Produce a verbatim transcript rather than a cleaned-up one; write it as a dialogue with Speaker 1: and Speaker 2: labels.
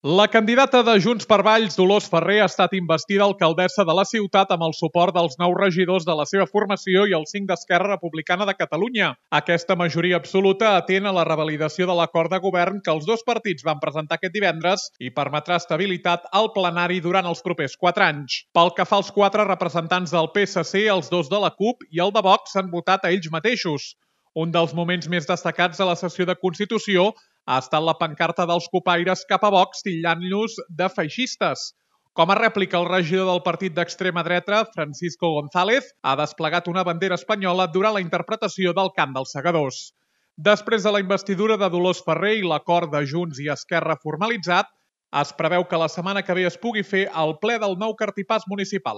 Speaker 1: La candidata de Junts per Valls, Dolors Ferrer, ha estat investida alcaldessa de la ciutat amb el suport dels nou regidors de la seva formació i els cinc d'Esquerra Republicana de Catalunya. Aquesta majoria absoluta atén a la revalidació de l'acord de govern que els dos partits van presentar aquest divendres i permetrà estabilitat al plenari durant els propers quatre anys. Pel que fa als quatre representants del P S C, els dos de la CUP i el de Vox s'han votat a ells mateixos. Un dels moments més destacats de la sessió de Constitució ha estat la pancarta dels copaires cap a Vox titllant-los de feixistes. Com a rèplica, el regidor del partit d'extrema dreta, Francisco González, ha desplegat una bandera espanyola durant la interpretació del Cant dels Segadors. Després de la investidura de Dolors Ferrer i l'acord de Junts i Esquerra formalitzat, es preveu que la setmana que ve es pugui fer el ple del nou Cartipàs municipal.